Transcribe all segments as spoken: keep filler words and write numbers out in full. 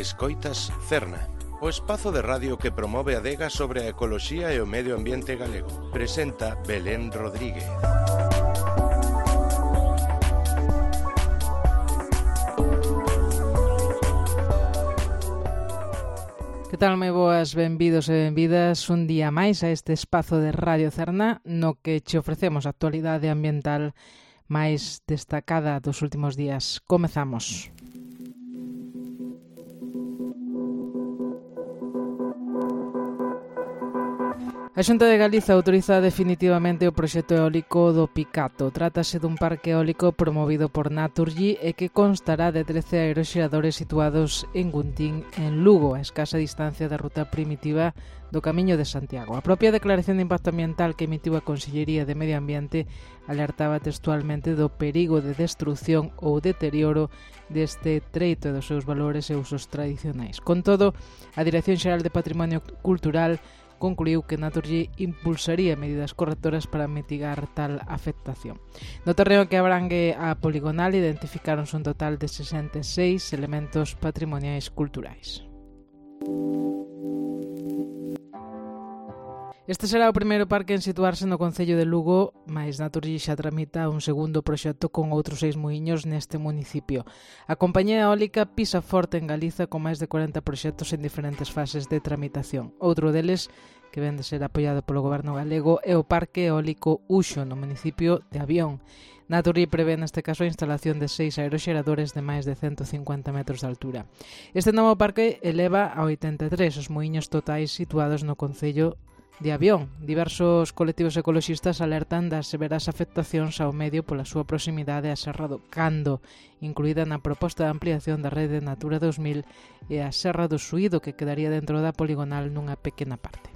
Escoitas Cerna, o espazo de radio que promove a adega sobre a ecoloxía e o medio ambiente galego. Presenta Belén Rodríguez. Que tal, moi boas, benvidos e benvidas un día máis a este espazo de Radio Cerna no que che ofrecemos a actualidade ambiental máis destacada dos últimos días. Comezamos. A Xunta de Galiza autoriza definitivamente o proxecto eólico do Picato. Trátase dun parque eólico promovido por Naturgy e que constará de trece aeroxeradores situados en Guntín, en Lugo, a escasa distancia da ruta primitiva do Camiño de Santiago. A propia declaración de impacto ambiental que emitiu a Consellería de Medio Ambiente alertaba textualmente do perigo de destrucción ou deterioro deste treito e dos seus valores e usos tradicionais. Con todo, a Dirección Xeral de Patrimonio Cultural concluiu que Naturgy impulsaría medidas correctoras para mitigar tal afectación. No terreo que abrangue a poligonal identificáronse un total de sesenta e seis elementos patrimoniais culturais. Este será o primeiro parque en situarse no concello de Lugo, mais Naturgy xa tramita un segundo proxecto con outros seis muiños neste municipio. A compañía eólica pisa forte en Galiza con máis de corenta proxectos en diferentes fases de tramitación. Outro deles, que ven de ser apoiado polo goberno galego, é o Parque Eólico Uxo, no municipio de Avión. Naturgy prevé neste caso a instalación de seis aeroxeradores de máis de cento cincuenta metros de altura. Este novo parque eleva a oitenta e tres os muiños totais situados no concello de Avión. Diversos colectivos ecoloxistas alertan das severas afectacións ao medio pola súa proximidade á Serra do Cando, incluída na proposta de ampliación da rede Natura dos mil, e a Serra do Suído, que quedaría dentro da poligonal nunha pequena parte.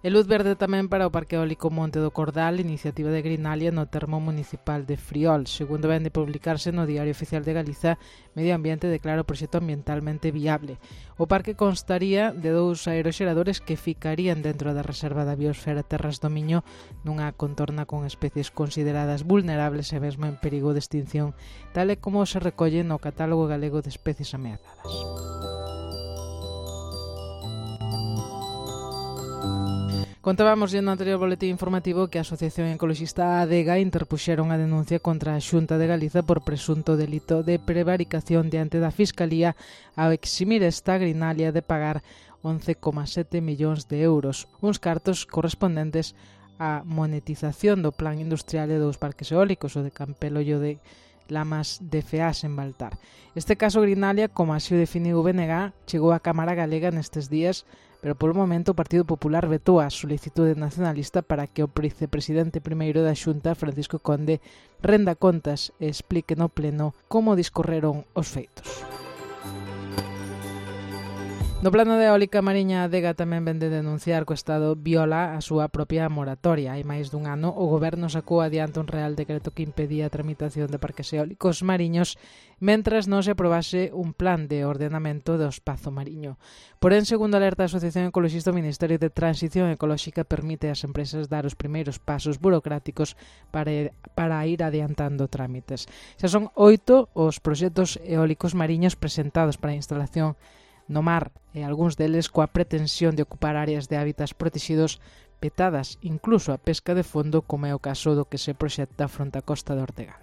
E luz verde tamén para o Parque Eólico Monte do Cordal, iniciativa de Greenalia no termo municipal de Friol. Segundo ven de publicarse no Diario Oficial de Galiza, Medio Ambiente declara o proxecto ambientalmente viable. O parque constaría de dous aeroxeradores que ficarían dentro da Reserva da Biosfera Terras do Miño, nunha contorna con especies consideradas vulnerables e mesmo en perigo de extinción, tal e como se recolle no Catálogo Galego de Especies Ameazadas. Contábamos no anterior boletín informativo que a Asociación Ecoloxista ADEGA interpuxeron a denuncia contra a Xunta de Galiza por presunto delito de prevaricación diante da Fiscalía ao eximir esta Greenalia de pagar once coma sete millóns de euros, uns cartos correspondentes á monetización do plan industrial de dous parques eólicos, o de Campelo e o de Lamas de Feas en Baltar. Este caso Greenalia, como así o definiu o B N G, chegou á Cámara Galega nestes días, pero polo momento o Partido Popular vetou a solicitude nacionalista para que o vicepresidente primeiro da Xunta, Francisco Conde, renda contas e explique no pleno como discorreron os feitos. No plano de eólica mariña, a ADEGA tamén ven de denunciar que o Estado viola a súa propia moratoria. Hai máis dun ano, o Goberno sacou adiante un real decreto que impedía a tramitación de parques eólicos mariños mentras non se aprobase un plan de ordenamento do espazo mariño. Porén, segundo alerta a Asociación Ecoloxista, o Ministerio de Transición Ecolóxica permite ás empresas dar os primeiros pasos burocráticos para, para ir adiantando trámites. Xa son oito os proxectos eólicos mariños presentados para a instalación no mar, e algúns deles coa pretensión de ocupar áreas de hábitats protegidos petadas, incluso a pesca de fondo, como é o caso do que se proxecta fronte á costa de Ortegada.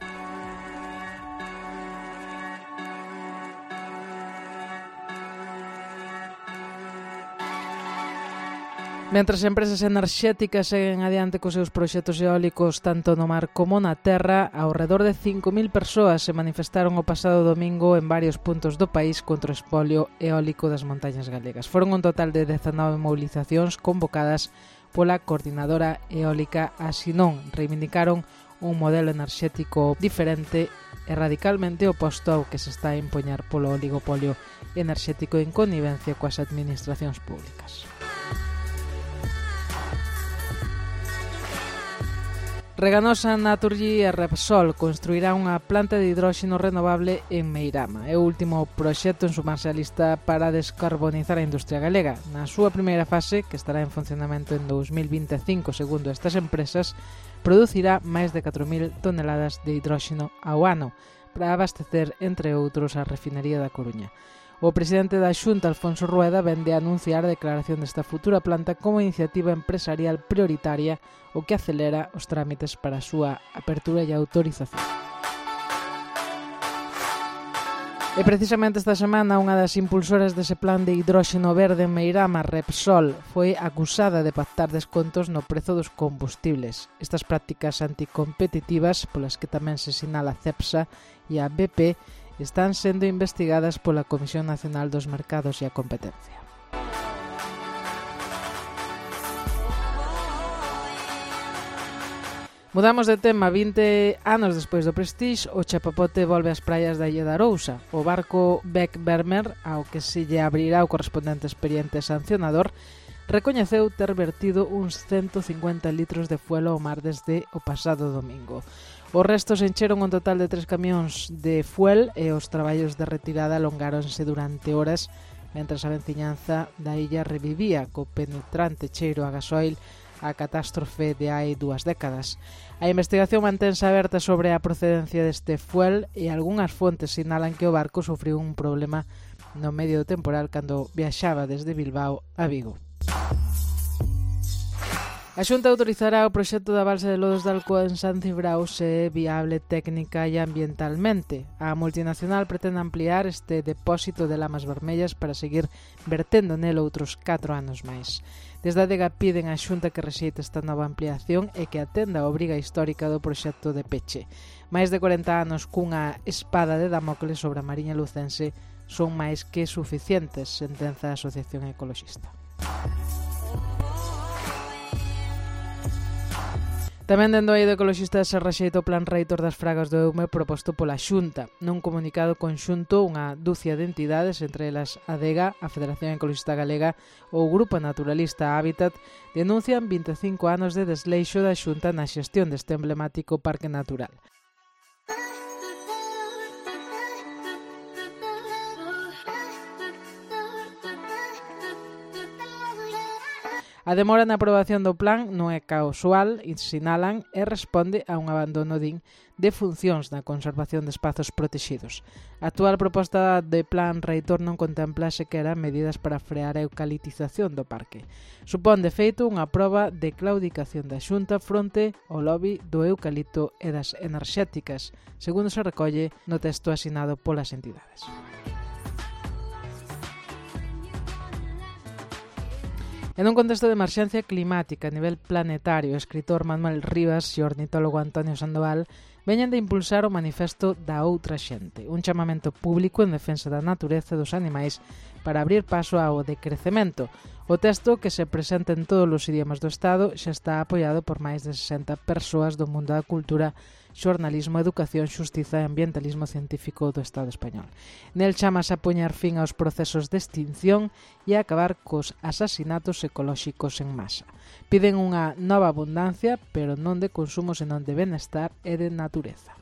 Mentras as empresas enerxéticas seguen adiante cos seus proxectos eólicos tanto no mar como na terra, ao redor de cinco mil persoas se manifestaron o pasado domingo en varios puntos do país contra o espolio eólico das montañas galegas. Foron un total de dezanove movilizacións convocadas pola Coordinadora Eólica Asinón. Reivindicaron un modelo enerxético diferente e radicalmente oposto ao que se está a impoñar polo oligopolio enerxético en connivencia coas administracións públicas. Reganosa, Naturgy e Repsol construirá unha planta de hidróxeno renovable en Meirama. É o último proxecto en sumarse á lista para descarbonizar a industria galega. Na súa primeira fase, que estará en funcionamento en dous mil vinte e cinco segundo estas empresas, producirá máis de catro mil toneladas de hidróxeno ao ano para abastecer, entre outros, a refinería da Coruña. O presidente da Xunta, Alfonso Rueda, vende a anunciar a declaración desta futura planta como iniciativa empresarial prioritaria, o que acelera os trámites para a súa apertura e autorización. E precisamente esta semana unha das impulsoras dese plan de hidróxeno verde en Meirama, Repsol, foi acusada de pactar descontos no prezo dos combustibles. Estas prácticas anticompetitivas, polas que tamén se sinala a Cepsa e a B P, están sendo investigadas pola Comisión Nacional dos Mercados e a Competencia. Mudamos de tema. vinte anos despois do Prestige, o chapapote volve ás praias da Illa de Arousa. O barco Beck Bermer, ao que se lle abrirá o correspondente expediente sancionador, recoñeceu ter vertido uns ciento cincuenta litros de fuel ao mar desde o pasado domingo. Os restos encheron un total de tres camións de fuel e os traballos de retirada alongáronse durante horas mentras a veciñanza da illa revivía co penetrante cheiro a gasoil a catástrofe de hai dúas décadas. A investigación mantense aberta sobre a procedencia deste fuel e algunhas fontes sinalan que o barco sufriu un problema no medio do temporal cando viaxaba desde Bilbao a Vigo. A Xunta autorizará o proxecto da balsa de Lodos de Alcoa en San Cibrao se é viable técnica e ambientalmente. A multinacional pretende ampliar este depósito de lamas vermellas para seguir vertendo nel outros catro anos máis. Desde a Adega piden á Xunta que rexeite esta nova ampliación e que atenda a obriga histórica do proxecto de peche. Máis de corenta anos cunha espada de Damocles sobre a Mariña lucense son máis que suficientes, sentenza a Asociación Ecoloxista. Tamén dende o eido ecologista se rexeita o plan reitor das fragas do Eume proposto pola Xunta. Nun comunicado conxunto, unha dúcia de entidades, entre elas Adega, a Federación Ecologista Galega ou o Grupo Naturalista Hábitat, denuncian vinte e cinco anos de desleixo da Xunta na xestión deste emblemático parque natural. A demora na aprobación do plan non é casual, sinalan, e responde a un abandono, din, de funcións na conservación de espazos protexidos. A actual proposta de plan reitor non contempla sequera medidas para frear a eucaliptización do parque. Supón, de feito, unha proba de claudicación da Xunta fronte ao lobby do eucalipto e das enerxéticas, segundo se recolle no texto asinado polas entidades. En un contexto de emerxencia climática a nivel planetario, o escritor Manuel Rivas e o ornitólogo Antonio Sandoval veñen de impulsar o manifesto da outra xente, un chamamento público en defensa da natureza e dos animais para abrir paso ao decrecemento. O texto, que se presenta en todos os idiomas do Estado, xa está apoiado por máis de sesenta persoas do mundo da cultura, xornalismo, educación, xustiza e ambientalismo científico do Estado español. Nel chamase a poñer fin aos procesos de extinción e a acabar cos asasinatos ecolóxicos en masa. Piden unha nova abundancia, pero non de consumo, senón de benestar e de natureza.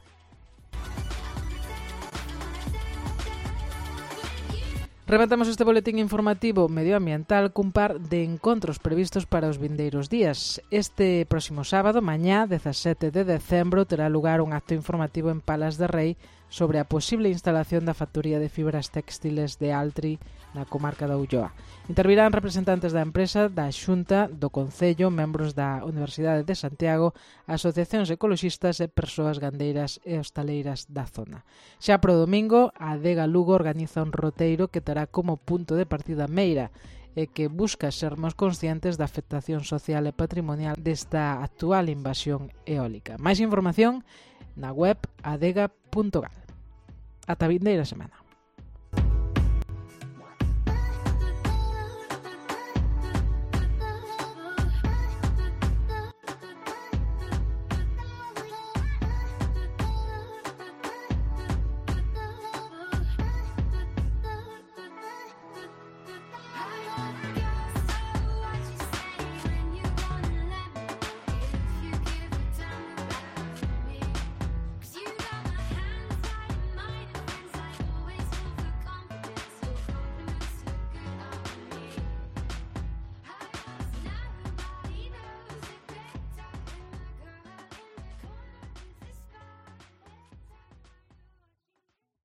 Rematamos este boletín informativo medioambiental cun par de encontros previstos para os vindeiros días. Este próximo sábado, mañá, dezasete de decembro, terá lugar un acto informativo en Palas de Rei sobre a posible instalación da factoría de fibras textiles de Altri na comarca da Ulloa. Intervirán representantes da empresa, da Xunta, do Concello, membros da Universidade de Santiago, asociacións ecoloxistas e persoas gandeiras e hostaleiras da zona. Xa pro domingo, a Adega Lugo organiza un roteiro que terá como punto de partida Meira e que busca sermos conscientes da afectación social e patrimonial desta actual invasión eólica. Máis información na web adega punto gal. Ata vindeira semana.